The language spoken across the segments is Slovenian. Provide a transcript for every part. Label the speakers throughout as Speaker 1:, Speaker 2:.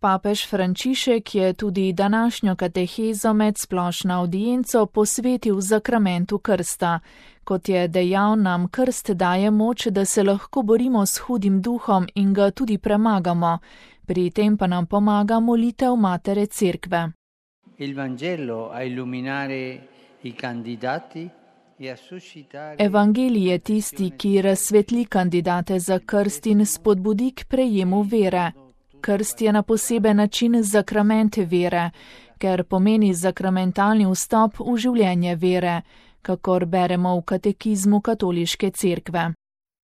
Speaker 1: Papež Frančišek je tudi današnjo katehezo med splošno avdienco posvetil zakramentu krsta. Kot je dejal, nam krst daje moč, da se lahko borimo s hudim duhom in ga tudi premagamo. Pri tem pa nam pomaga molitev Matere Cerkve. Evangelij je tisti, ki razsvetli kandidate za krst in spodbudi k prejemu vere. Krst je na poseben način zakrament vere, ker pomeni zakramentalni vstop v življenje vere, kakor beremo v katekizmu Katoliške cerkve.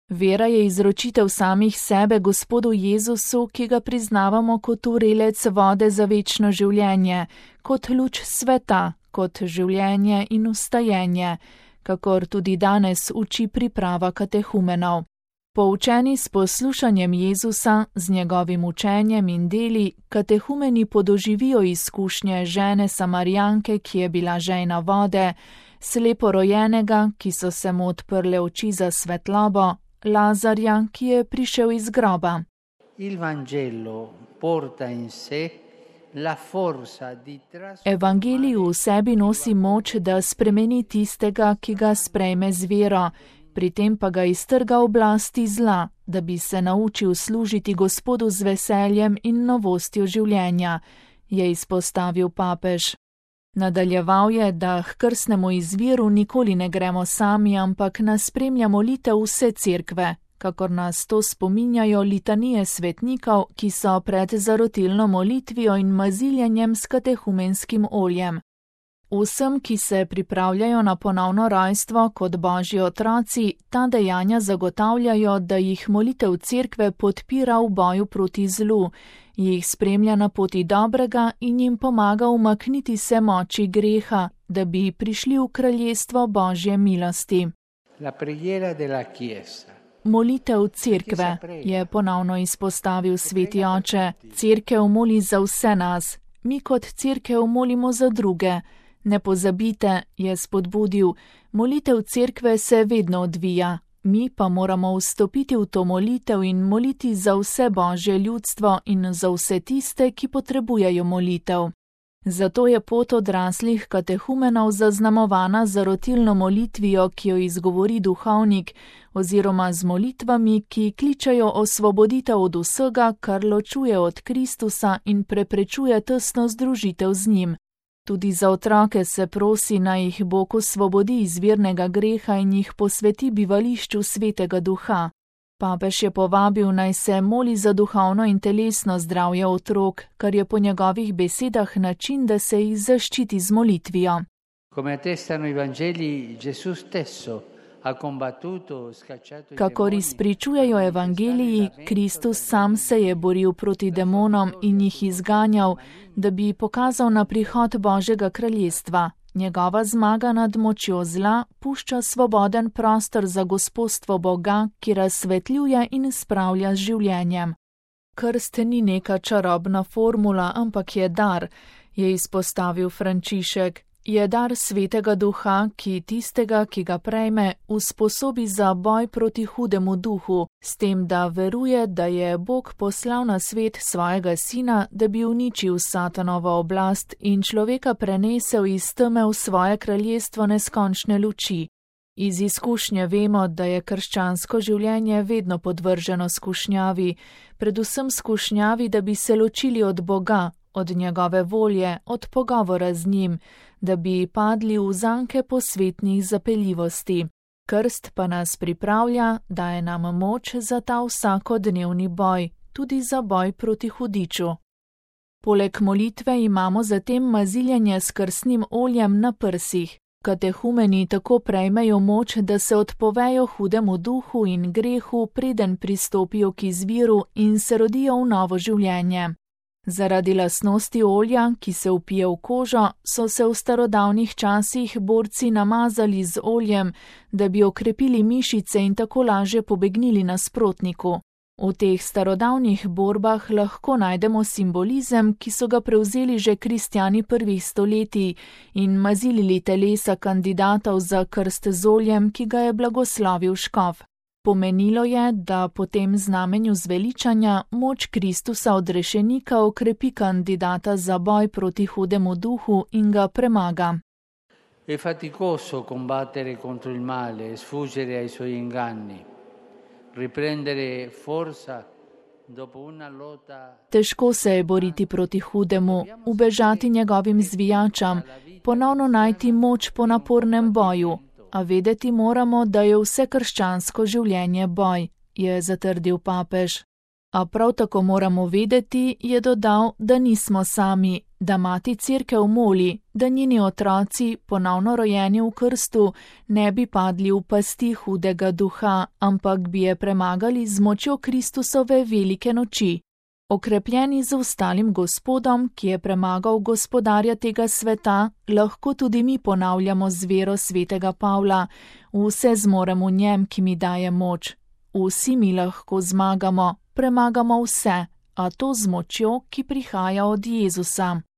Speaker 1: Vera je izročitev samih sebe Gospodu Jezusu, ki ga priznavamo kot vrelec vode za večno življenje, kot luč sveta, kot življenje in vstajenje, kakor tudi danes uči priprava katehumenov. Poučeni s poslušanjem Jezusa, z njegovim učenjem in deli, katehumeni podoživijo izkušnje žene Samarijanke, ki je bila žejna vode, sleporojenega, ki so se mu odprle oči za svetlobo, Lazarja, ki je prišel iz groba. Evangelij v sebi nosi moč, da spremeni tistega, ki ga sprejme z vero, pri tem pa ga iztrga oblasti zla, da bi se naučil služiti Gospodu z veseljem in novostjo življenja, je izpostavil papež. Nadaljeval je, da k krstnemu izviru nikoli ne gremo sami, ampak nas spremlja molitev vse cerkve, kakor nas to spominjajo litanije svetnikov, ki so pred zarotilno molitvijo in maziljenjem s katehumenskim oljem. Vsem, ki se pripravljajo na ponovno rojstvo kot božji otroci, ta dejanja zagotavljajo, da jih molitev cerkve podpira v boju proti zlu, jih spremlja na poti dobrega in jim pomaga umakniti se moči greha, da bi prišli v kraljestvo božje milosti. Molitev cerkve, je ponovno izpostavil sveti oče. Cerkev moli za vse nas, mi kot cerkev molimo za druge. Ne pozabite, je spodbudil, molitev cerkve se vedno odvija, mi pa moramo vstopiti v to molitev in moliti za vse božje ljudstvo in za vse tiste, ki potrebujejo molitev. Zato je pot odraslih katehumenov zaznamovana z zarotilno molitvijo, ki jo izgovori duhovnik, oziroma z molitvami, ki kličejo osvoboditev od vsega, kar ločuje od Kristusa in preprečuje tesno združitev z njim. Tudi za otroke se prosi, naj jih Bog osvobodi iz virnega greha in jih posveti bivališču Svetega Duha. Papež je povabil, naj se moli za duhovno in telesno zdravje otrok, kar je po njegovih besedah način, da se jih zaščiti z molitvijo. Kakor izpričujejo evangeliji, Kristus sam se je boril proti demonom in jih izganjal, da bi pokazal na prihod Božjega kraljestva. Njegova zmaga nad močjo zla pušča svoboden prostor za gospodstvo Boga, ki razsvetljuje in spravlja z življenjem. Krst ni neka čarobna formula, ampak je dar, je izpostavil Frančišek. Je dar Svetega Duha, ki tistega, ki ga prejme, usposobi za boj proti hudemu duhu, s tem, da veruje, da je Bog poslal na svet svojega sina, da bi uničil Satanovo oblast in človeka prenesel iz teme v svoje kraljestvo neskončne luči. Iz izkušnje vemo, da je krščansko življenje vedno podvrženo skušnjavi, predvsem skušnjavi, da bi se ločili od Boga, od njegove volje, od pogovora z njim, da bi padli v zanke posvetnih zapeljivosti. Krst pa nas pripravlja, daje nam moč za ta vsakodnevni boj, tudi za boj proti hudiču. Poleg molitve imamo zatem maziljenje s krstnim oljem na prsih. Katehumeni tako prejmejo moč, da se odpovejo hudemu duhu in grehu, preden pristopijo k izviru in se rodijo v novo življenje. Zaradi lastnosti olja, ki se vpije v kožo, so se v starodavnih časih borci namazali z oljem, da bi okrepili mišice in tako lažje pobegnili nasprotniku. V teh starodavnih borbah lahko najdemo simbolizem, ki so ga prevzeli že kristjani prvih stoletij in mazilili telesa kandidatov za krst z oljem, ki ga je blagoslovil škof. Pomenilo je, da po tem znamenju zveličanja moč Kristusa odrešenika okrepi kandidata za boj proti hudemu duhu in ga premaga.
Speaker 2: È faticoso combattere contro il male e sfuggire ai suoi inganni. Riprendere forza dopo una lotta.
Speaker 1: Težko se je boriti proti hudemu, ubežati njegovim zvijačam, ponovno najti moč po napornem boju, a vedeti moramo, da je vse krščansko življenje boj, je zatrdil papež. A prav tako moramo vedeti, je dodal, da nismo sami, da mati Cerkev moli, da njeni otroci, ponovno rojeni v krstu, ne bi padli v pasti hudega duha, ampak bi je premagali z močjo Kristusove velike noči. Okrepljeni z ostalim Gospodom, ki je premagal gospodarja tega sveta, lahko tudi mi ponavljamo z vero svetega Pavla: vse zmorem v njem, ki mi daje moč. Vsi mi lahko zmagamo, premagamo vse, a to z močjo, ki prihaja od Jezusa.